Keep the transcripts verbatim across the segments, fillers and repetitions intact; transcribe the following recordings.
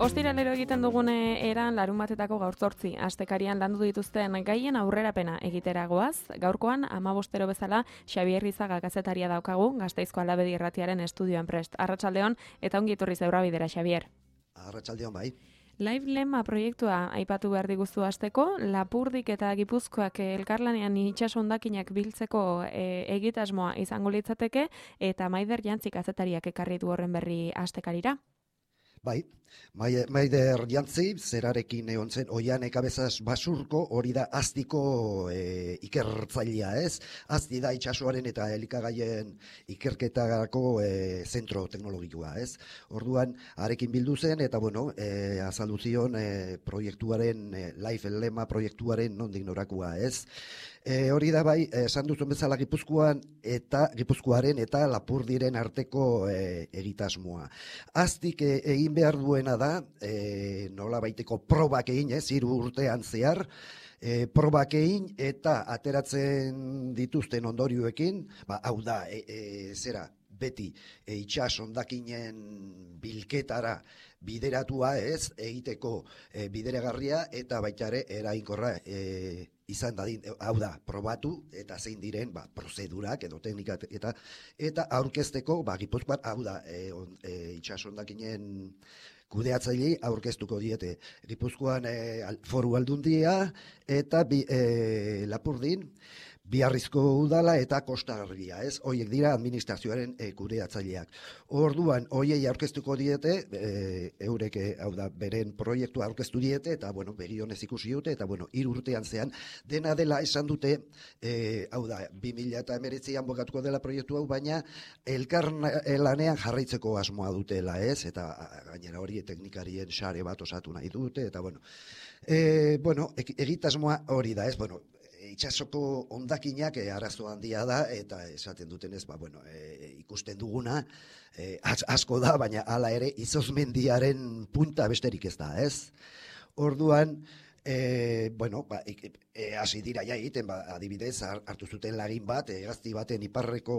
Ostiralero egiten dugune eran larun batetako gaur zortzi, astekarian landu dituzten gaien aurrerapena egiteragoaz, gaurkoan amabostero bezala Xabier Rizaga kazetaria daukagu, Gasteizko Alabedi Irratiaren estudioan prest. Arratsaldeon eta ongi etorri Zebrabidera, Xabier. Arratsaldeon bai. Live Lema proiektua aipatu behar diguzu hasteko, Lapurdik eta Gipuzkoak elkarlanean itsaso hondakinak biltzeko e, egitasmoa izango litzateke, eta Maider Jantzi kazetariak ekarri du horren berri astekarira. Bai, Maider Jantzi, zerarekin egon zen, oian ekabezaz basurko, hori da aztiko e, ikertzailea ez, azti da itsasoaren eta elikagaien ikerketarako e, zentro teknologikoa ez. Orduan, arekin bildu zen, eta bueno, e, azaldu zion e, proiektuaren, e, Live Lema proiektuaren nondik norakoa ez. E, hori da bai, esan duzun bezala Gipuzkoan eta Gipuzkoaren eta Lapurdiren arteko e, egitasmoa. Aztik e, egin behar duena da, e, nola baiteko probak egin, ez, hiru urtean zehar, e, probak egin eta ateratzen dituzten ondorioekin, ba, hau da, e, e, zera, beti e, itsas hondakinen bilketara bideratua ez, egiteko e, bideragarria eta baita ere eraginkorra e, izan dadin, hau da, probatu eta zein diren ba, prozedurak edo teknikak eta eta aurkezteko, ba, Gipuzkoan, hau da, e, on, e, itsas hondakinen kudeatzailei aurkeztuko diete Gipuzkoan e, foru aldundia eta bi, e, Lapurdin, Biarrizko udala eta Kostagarria, ez? Hoiek dira administrazioaren e, kudeatzaileak. Orduan, hoiei aurkeztuko diete, e, eurek, hau da, beren proiektua aurkeztu diete, eta, bueno, begionez ikusi dute, eta, bueno, hiru urtean zean, dena dela esan dute, e, hau da, bi mila hemeretzian bokatuko dela proiektu hau, baina elkar lanean jarraitzeko asmoa dutela, ez? Eta, gainera hori, teknikarien sare bat osatu nahi dute, eta, bueno, e, bueno, egitasmoa hori da, ez? Bueno, itsasoko hondakinak e, arazo handia da eta esaten dutenez ba bueno e, ikusten duguna e, asko da baina hala ere izozmendiaren punta besterik ez da, ez? Orduan e, bueno ba e, hasi dira ja egiten ba adibidez hartu zuten lagin bat hegazti baten iparreko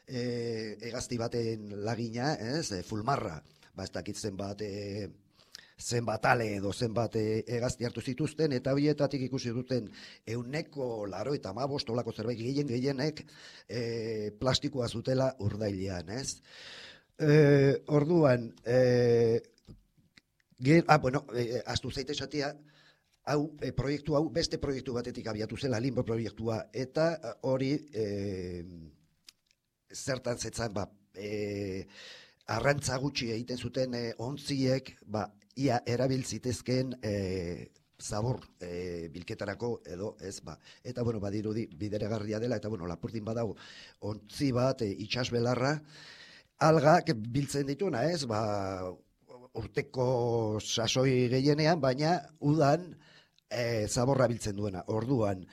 e, hegazti baten lagina, ez? E, Fulmarra, ba ez dakitzen bat e, zenbat ale edo zenbat hegazti hartu zituzten, eta horietatik ikusi duten ehuneko laurogeita hamabost olako zerbait gehien gehienek e, plastikoa zutela urdailean, ez? E, orduan, e, ger, ah, bueno, e, astu zaite esatia, hau, e, proiektu hau, beste proiektu batetik abiatu zela, Limbo proiektua, eta hori e, zertan zetzan, ba, e, arrantza gutxi egiten zuten e, ontziek, ba, ia erabiltzitezken e, zabor e, bilketarako edo ez ba. Eta bueno, badirudi bideragarria dela eta bueno, Lapurdin badago ontzi bat e, itsasbelarra algak biltzen dituna, ez? Ba, urteko sasoi gehienean, baina udan e, zaborra biltzen duena. Orduan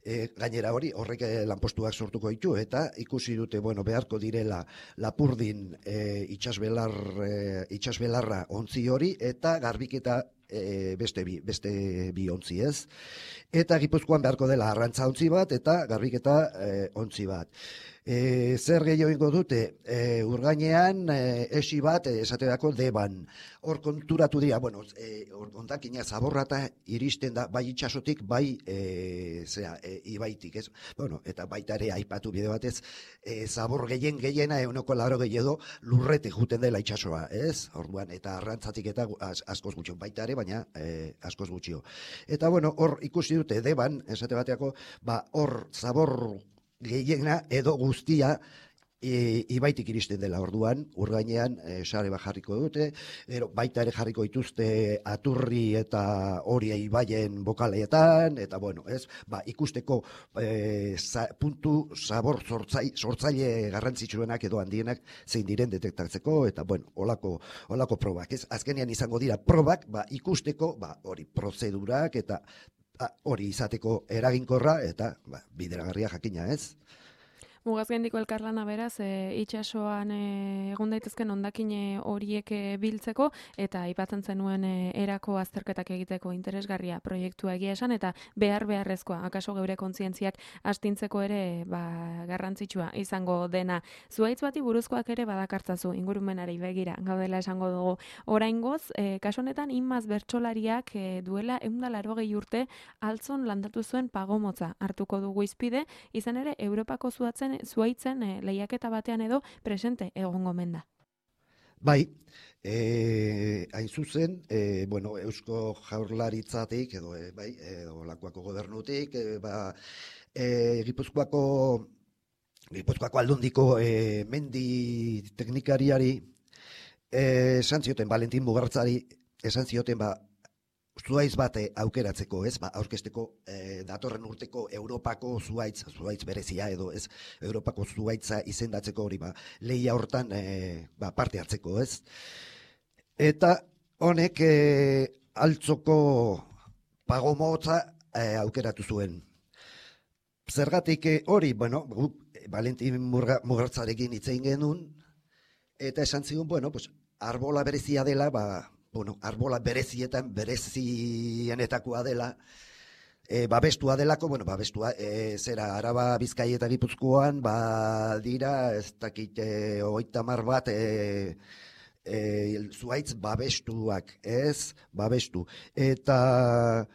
E, gainera hori, horrek lanpostuak sortuko ditu, eta ikusi dute, bueno, beharko direla Lapurdin e, itsasbelar, e, itsasbelarra ontzi hori, eta garbiketa e, beste, bi, beste bi ontzi ez. Eta Gipuzkoan beharko dela arrantza ontzi bat, eta garbiketa e, ontzi bat. E, zer gehiago ingo dute, e, urgainean e, esi bat e, esaterako deban. Hor konturatu dira, bueno, e, ondakina zaborrata iristen da, bai itsasotik, bai e, zera, e, ibaitik, ez? Bueno, eta baita ere aipatu bide batez, e, zabor gehien gehiena euneko laro gehiago lurrete juten dela itsasoa, ez? Orduan, eta arrantzatik eta az, askoz gutxio, baita ere, baina e, askoz gutxio. Eta bueno, hor ikusi dute deban, esate bateako, ba, hor zabor gehiena edo guztia e, ibaitik iristen dela. Orduan, urgainean e, sare bat jarriko dute, ero, baita ere jarriko dituzte Aturri eta hori ibaien bokaleetan, eta bueno, ez, ba, ikusteko e, za, puntu zabor sortzai, sortzaile garrantzitsuenak edo handienak zein diren detektatzeko, eta bueno, olako, olako probak, ez, azkenean izango dira probak, ba, ikusteko, ba, hori prozedurak eta hori izateko eraginkorra eta ba, bideragarria jakina, ez? Mugazgaindiko elkarlana beraz, e, itsasoan e, egon daitezken hondakine horiek e, biltzeko eta aipatzen zenuen e, erako azterketak egiteko interesgarria proiektua egia esan eta behar beharrezkoa, akaso geure kontzientziak astintzeko ere ba, garrantzitsua izango dena. Zuhaitz bati buruzkoak ere badakartzazu ingurumenari begira, gaudela esango dugu. Oraingoz, e, kasu honetan inmaz bertsolariak e, duela ehun eta laurogei urte altzon landatu zuen pagomotza hartuko dugu izpide, izan ere Europako zuatzen zuaitzen e, lehiaketa batean edo presente egongo menda. Bai, e, hain zuzen, e, bueno, Eusko Jaurlaritzatik edo e, bai, edo Lakuako gobernutik, e, ba, e, Gipuzkoako Gipuzkoako aldundiko e, mendi teknikariari e, esan zioten Valentin Mugartzari esan zioten ba zuhaitz bate aukeratzeko, ez, ba, aurkesteko e, datorren urteko Europako zuhaitz, zuhaitz berezia edo, ez, Europako zuhaitza izendatzeko hori, ba, lehia hortan e, ba, parte hartzeko, ez. Eta honek e, altzoko pagomotza e, aukeratu zuen. Zergatik hori, bueno, Valentin Mugartzarekin hitz egin genuen, eta esan zigun, bueno, pues, arbola berezia dela, ba, bueno, arbola berezietan, berezienetakoa dela, e, babestua delako, bueno, babestua, e, zera, Araba, Bizkai eta Gipuzkoan, ba, dira, ez dakit, e, hogeita hamar bat, e, e, zuhaitz babestuak, ez, babestu. Eta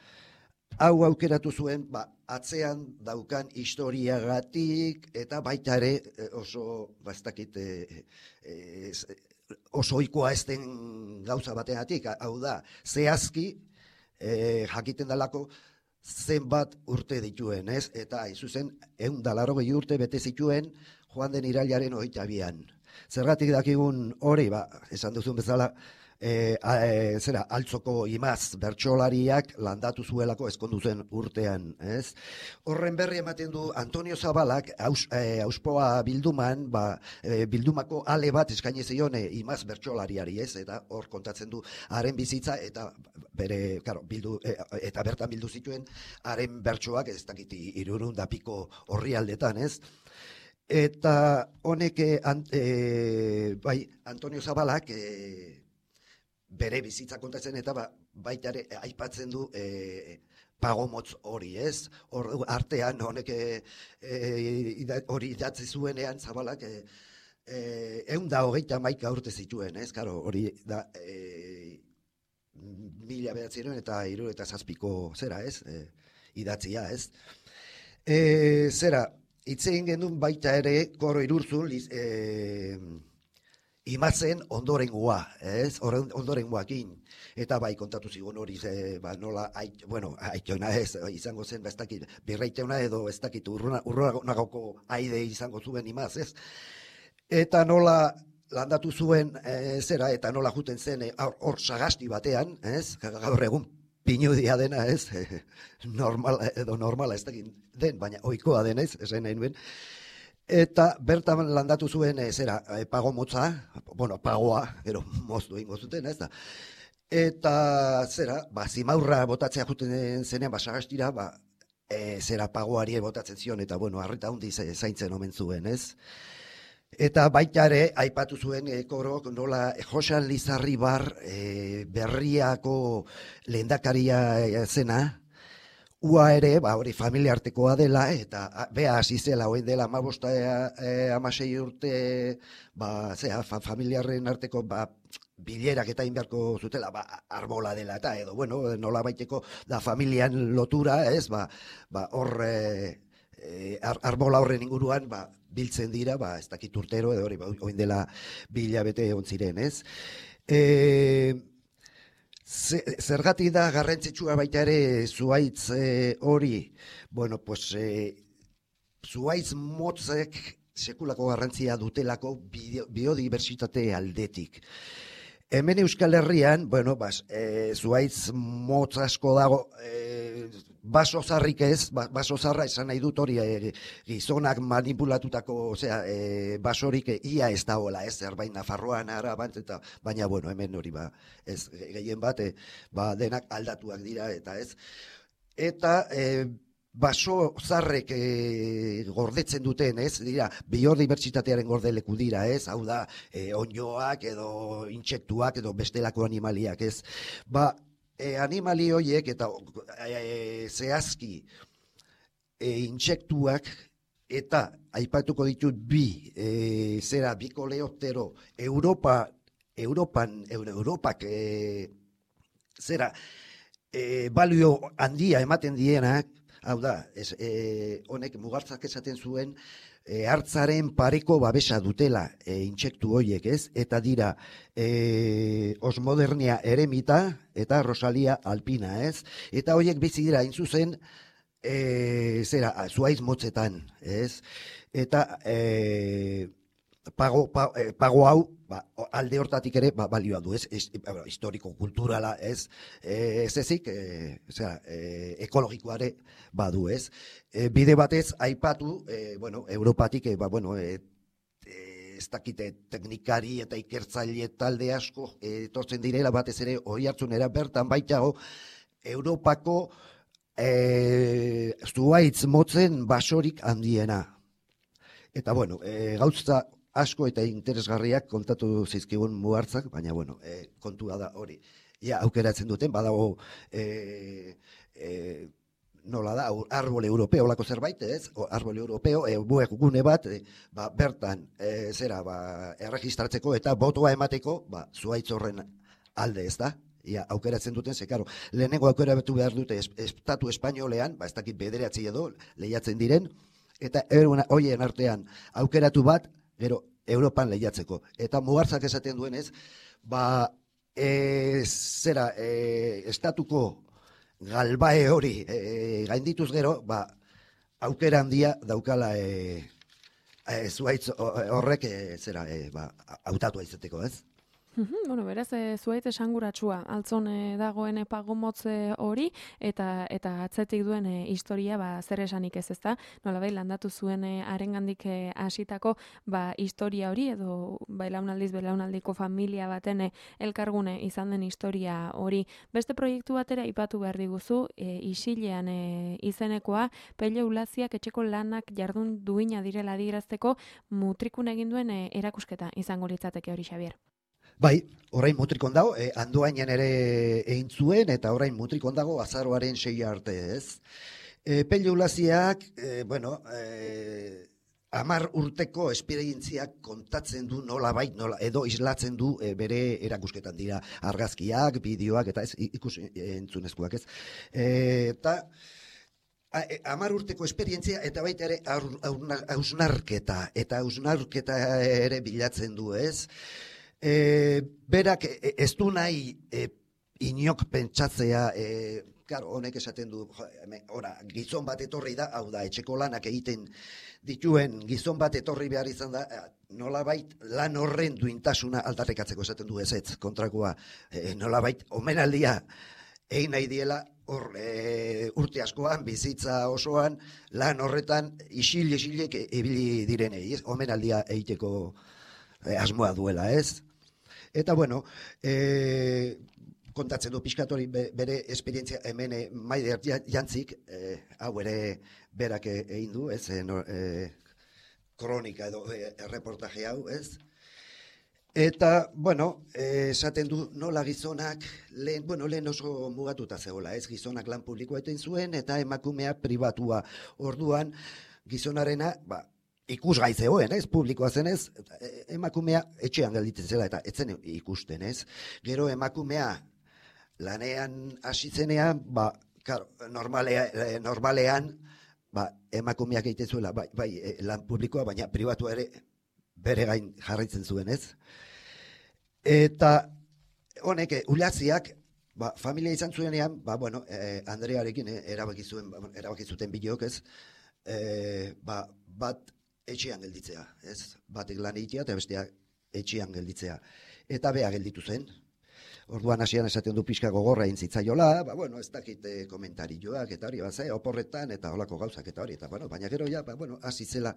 hau aukeratu zuen, ba, atzean daukan historiagatik, eta baita ere oso, ba, ez dakit, e, e, oso ohikoa ez den gauza bategatik, hau da, zehazki e, jakiten dalako zenbat urte dituen, ez? Eta izuzen, ehun eta laurogei urte bete zituen joan den irailaren hogeita bian. Zergatik dakigun hori, ba, esan duzun bezala, e, a, e, zera, altzoko imaz bertsolariak landatu zuelako ezkondu zen urtean, ez? Horren berri ematen du Antonio Zabalak aus, e, auspoa bilduman, ba, e, bildumako ale bat eskaini zion e, imaz bertsolariari, ez? Eta hor kontatzen du haren bizitza eta bere, claro, bildu, e, eta bertan bildu zituen haren bertsoak, ez dakit hirurehun da piko orrialdetan, ez? Eta honek e, bai, Antonio Zabalak e, bere bizitza kontatzen eta ba, baita ere aipatzen du e, pagomotz hori, ez? Hor artean honek e, e, hori idatzi zuenean Zabalak e, e, ehun eta hogeita hamaika urte zituen, ez? Karo, hori da e, mila bederatziehun eta hirurogeita zazpiko zera, ez? E, idatzia, ez? E, zera, hitz egin genuen baita ere Koro Irurzun e, imazen ondorengoa, ez? Ondorengoakin. Eta bai kontatu zigun hori, e, ba, nola, ait, bueno, aitona ez, izango zen, ba, ez dakit, birreiteuna edo ez dakit, urronagoko aide izango zuen imaz, ez? Eta nola landatu zuen e, zera, eta nola juten zen, hor e, sagasti batean, ez? Gaur egun pinudia dena, ez? Normala, edo normala ez dakit den, baina ohikoa denez, esan nahi nuen. Eta bertan landatu zuen e, zera, e, pagomotza, bueno, pagoa, gero moztu egingo zuten, ez da. Eta zera, ba, zimaurra botatzea juten zenean, ba, sagastira, ba, e, zera pagoari botatzen zion, eta bueno, arreta hundi zaintzen omen zuen, ez. Eta baita ere, aipatu zuen e, Korok, nola Josan Lizarribar e, berriako lehendakaria zena, ua ere, ba, hori familia artekoa dela, eta bea hasi zela, hoen dela amabosta e, amasei urte, ba, zera, fa, familiarren arteko, ba, bilerak eta inberko zutela, ba, arbola dela, eta edo, bueno, nola baiteko da familian lotura, ez, ba, ba hor, e, e, ar, arbola horren inguruan, ba, biltzen dira, ba, ez dakit urtero, edo hori, ba, hoen dela bilabete egon ziren, ez. E, Zergatik da garrantzitsua baita ere zuhaitz e, hori, bueno, pues e, zuhaitz motzek sekulako garrantzia dutelako biodibertsitate aldetik. Hemen Euskal Herrian, bueno, bas, e, zuhaitz motz asko dago, e, baso zarrik ez, baso zarra esan nahi dut hori e, gizonak manipulatutako, osea, e, basorik ia ez dagoela, ez, zerbait Nafarroan, Araban, eta baina, bueno, hemen hori, ba, ez, gehien bat, e, ba, denak aldatuak dira, eta ez. Eta, e, baso zarrek e, gordetzen duten, ez? Dira, biodibertsitatearen gordeleku dira, ez? Hau da, e, onjoak edo intsektuak edo bestelako animaliak, ez? Ba, e, animali horiek eta e, zehazki e, intsektuak eta aipatuko ditut bi, e, zera, bi koleoptero, Europa, Europan, Europak, e, zera, e, balio handia ematen dienak, hau da, ez, e, honek mugartzak esaten zuen, e, hartzaren pareko babesa dutela e, intsektu horiek, ez? Eta dira, e, Osmodernia eremita eta Rosalia alpina, ez? Eta horiek bizi dira, hain zuzen, e, zera, zuaiz motzetan, ez? Eta e, pago, pa, e, pago hau, ba, alde hortatik ere ba, balioa du, ez? Ez, historiko, kulturala, ez? E, ez ezik, e, zera, e, ekologikoare badu, ez? E, bide batez, aipatu, e, bueno, Europatik, e, ba, bueno, e, ez dakite teknikari eta ikertzaile talde asko e, etortzen direla batez ere hori hartzunera bertan baitago Europako e, zuaitz motzen basorik handiena. Eta bueno, e, gauza asko eta interesgarriak kontatu zizkigun mugartzak, baina bueno, e, kontua da hori. Ja, aukeratzen duten, badago e, e, nola da, arbole europeo lako zerbait, ez? O, arbole europeo, e, buek gune bat, e, ba, bertan, e, zera, ba, erregistratzeko eta botoa emateko, ba, zuaitz horren alde, ez da? Ja, aukeratzen duten, ze, karo, lehenengo aukera betu behar dute es, estatu espainolean, ba, ez dakit bederatzi edo, lehiatzen diren, eta horien artean aukeratu bat, gero Europan lehiatzeko. Eta mugartzak esaten duenez, ba, e, zera, e, estatuko galbae hori e, gaindituz gero, ba, aukera handia daukala e, e, zuaitz horrek e, zera, e, ba, hautatu aizeteko, ez? Bueno, beraz, e, zuaitz esanguratsua, altzon e, dagoen pagomotze hori, eta eta atzetik duen e, historia, ba, zer esanik ez ezta, nolabait landatu zuen e, harengandik e, hasitako ba, historia hori, edo belaunaldiz belaunaldiko familia baten e, elkargune izan den historia hori. Beste proiektu batera aipatu behar diguzu, e, isilean e, izenekoa, Pello Ulaziak etxeko lanak jardun duina direla adierazteko mutrikun egin duen e, erakusketa izango litzateke hori, Xabier. Bai, orain mutrikon dago, eh, Andoainen ere egin zuen, eta orain mutrikon dago azaroaren sei arte, ez? E, Pello Ulaziak, e, bueno, e, amar urteko esperientziak kontatzen du nola bait, nola, edo islatzen du e, bere erakusketan dira argazkiak, bideoak, eta ez, ikus entzunezkoak, ez? E, eta amar urteko esperientzia eta baita ere hausnarketa, eta hausnarketa ere bilatzen du, ez? E, berak e, ez du nahi e, inok pentsatzea, e, claro, honek esaten du, ora, gizon bat etorri da, hau da, etxeko lanak egiten dituen gizon bat etorri behar izan da, nolabait lan horren duintasuna aldarrikatzeko esaten du ez ez, kontrakoa, e, nolabait omenaldia egin nahi diela, hor, e, urte askoan, bizitza osoan, lan horretan isil-isilek ibili direnei, ez, omenaldia egiteko e, asmoa duela, ez? Eta, bueno, e, kontatzen du pixkatori bere esperientzia hemen e, Maider Jantzik, e, hau ere berak egin du, ez, e, no, e, kronika edo e, erreportaje hau, ez? Eta, bueno, e, esaten du nola gizonak, lehen, bueno, lehen oso mugatuta zegoela, ez, gizonak lan publikoa eten zuen, eta emakumea pribatua. Orduan, gizonarena, ba, ikusgai zegoen, ez, publikoa zenez, emakumea etxean gelditzen zela, eta etzen ikusten, ez. Gero emakumea lanean hasi zenean, ba, karo, normalea, normalean, ba, emakumeak egiten zuela, bai, bai, lan publikoa, baina pribatua ere bere gain jarraitzen zuen, ez. Eta honek, Ulaziak, ba, familia izan zuenean, ba, bueno, eh, Andrearekin eh, erabaki zuen, erabaki zuten bideok, ez, eh, ba, bat etxean gelditzea, ez? Batek lan egitea eta besteak etxean gelditzea. Eta bea gelditu zen. Orduan hasian esaten du pixka gogorra egin zitzaiola, ba, bueno, ez dakit eh, komentarioak eta hori, ba, ze, oporretan eta holako gauzak eta hori, eta, bueno, baina gero ja, ba, bueno, hasi zela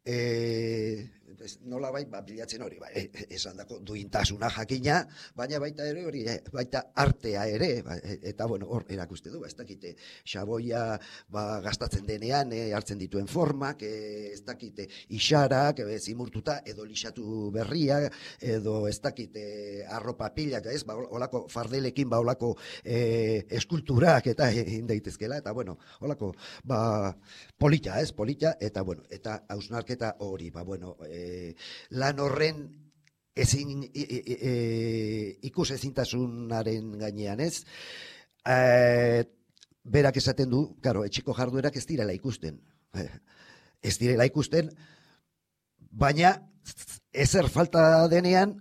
e, nola bai, ba, bilatzen hori, ba, e, esan dako duintasuna jakina, baina baita ere hori, baita artea ere, ba, eta bueno, hor erakuste du, ba, ez dakite, xaboia ba, gastatzen denean, e, hartzen dituen formak, e, ez dakite, isarak, e, zimurtuta, edo lixatu berria, edo ez dakite, arropa pilak, ez, ba, olako fardelekin, ba, olako e, eskulturak, eta egin daitezkela, eta bueno, olako, ba, polita, ez, polita, eta bueno, eta hausnarketa hori, ba, bueno, e, lan horren ezin, e, e, e, ikus ezintasunaren gainean, ez? E, berak esaten du, karo, etxeko jarduerak ez direla ikusten. Ez direla ikusten, baina ezer falta denean,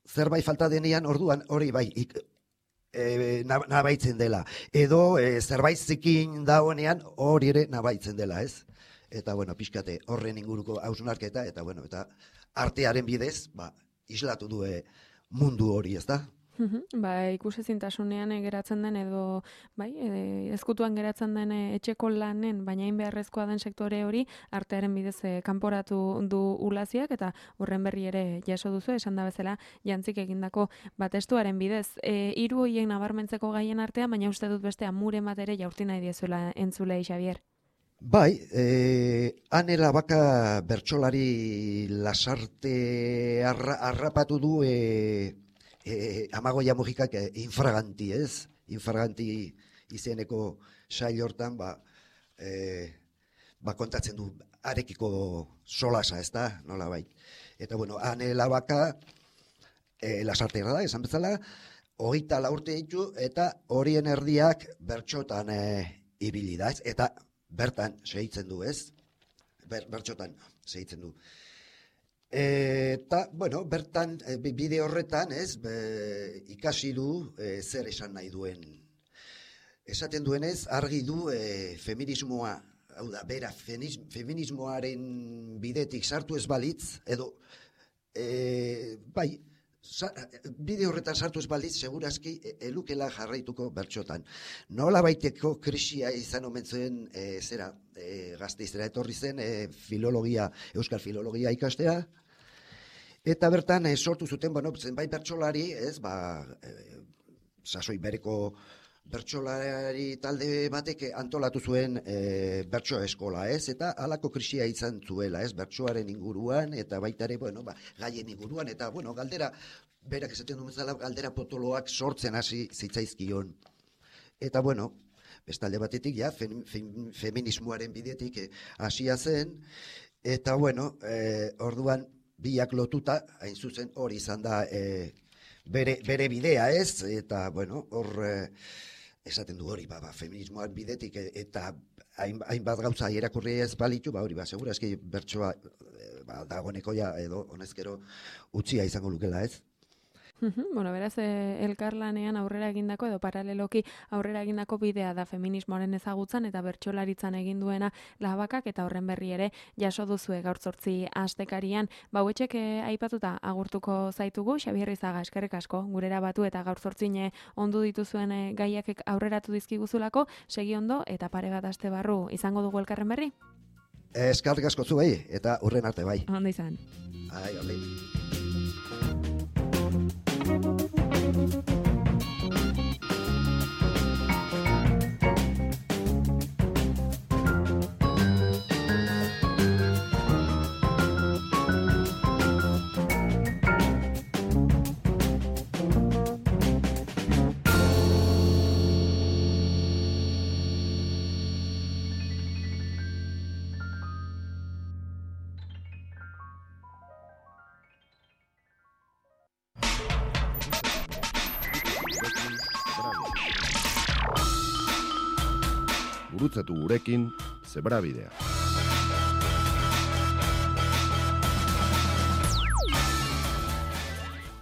zerbait falta denean, orduan hori bai, ik, e, nabaitzen dela. Edo e, zerbait zikin dagoenean hori ere nabaitzen dela, ez? Eta, bueno, pixkate horren inguruko hausnarketa, eta, bueno, eta artearen bidez, ba, islatu du mundu hori, ez da? Ba, ikusezintasunean geratzen den edo, bai, e, ezkutuan geratzen den etxeko lanen, baina hain beharrezkoa den sektore hori, artearen bidez e, kanporatu du ulaziak, eta horren berri ere jaso duzu, esan da bezala, jantzik egindako batestuaren bidez. E, hiru hoien nabarmentzeko gaien artean, baina uste dut beste amuren bat ere jaurti nahi diezuela entzulei, Xabier. Bai, eh, Anela Baka bertsolari lasarte arra, arrapatu du eh, eh, Amagoia Mujikak eh, infraganti, ez? Infraganti izeneko sail hortan, ba, eh, ba kontatzen du arekiko solasa, ez da? Nola bai. Eta bueno, Anela Baka eh, lasarte da, esan bezala, hogeita lau urte ditu, eta horien erdiak bertxotan eh, ibili da, ez? Eta bertan segitzen du, ez? Ber, bertxotan segitzen du. Eta, bueno, bertan, bide horretan, ez, be, ikasi du e, zer esan nahi duen. Esaten duenez, argi du e, feminismoa, hau da, bera, feminismoaren bidetik sartu ez balitz, edo, e, bai, Sa, bide horretan sartu ez balitz, segurazki elukela jarraituko bertxotan. Nola baiteko krisia izan omen zuen e, zera, e, Gasteizera etorri zen e, filologia, euskal filologia ikastea, eta bertan e, sortu zuten, bueno, zenbait bertsolari, ez, ba, e, sasoi bereko bertsolari talde batek antolatu zuen e, bertso eskola, ez? Eta halako krisia izan zuela, ez? Bertsoaren inguruan, eta baita ere, bueno, ba, gaien inguruan, eta, bueno, galdera, berak esaten duen bezala, galdera potoloak sortzen hasi zitzaizkion. Eta, bueno, bestalde batetik, ja, fem, fem, feminismoaren bidetik hasia zen, eta, bueno, e, orduan, biak lotuta, hain zuzen hori izan da e, bere, bere bidea, ez? Eta, bueno, hor... E, esaten du hori, ba, ba, feminismoan bidetik eta hainbat gauza irakurri ez balitu, ba, hori, ba, segura eski bertsoa ba, dagoeneko ja, edo honezkero utzia izango lukela, ez? Bueno, beraz, eh, elkarlanean aurrera egindako edo paraleloki aurrera egindako bidea da feminismoaren ezagutzan eta bertsolaritzan egin duena Labakak, eta horren berri ere jaso duzue gaur zortzi astekarian. Bauetxek eh, aipatuta agurtuko zaitugu, Xabier Rizaga, eskerrik asko, gurera batu eta gaur zortzine ondu dituzuen eh, gaiak aurreratu dizkiguzulako, segi ondo eta pare bat aste barru izango dugu elkarren berri? Eskerrik asko zu bai, eta urren arte bai. Ondo izan. Ai, ondi. Gurutzatu gurekin Zebrabidea.